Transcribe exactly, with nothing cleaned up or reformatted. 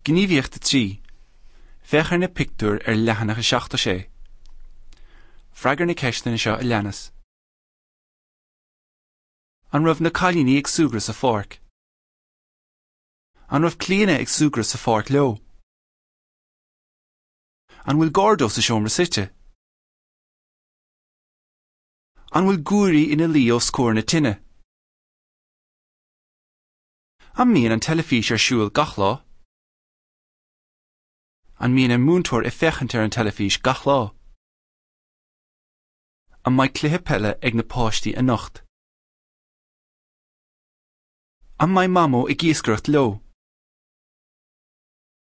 Gníomhaíocht a trí. Féach ar na pictiúir ar leathanach a seachtó sé. Freagair na ceisteanna seo a leanas. An raibh na cailíní ag súgradh sa pháirc? An raibh Clíona ag súgradh sa pháirc leo? An bhfuil Gordo sa seomra suite? An bhfuil guairí ina luí os comhair na tine? An mbíonn an teilifís ar siúl gach lá? An mbíonn an múinteoir ag féachaint ar an teilifís gach lá? An mbeidh cluiche peile ag na páistí anocht? An mbeidh Mamó ag iascaireacht leo?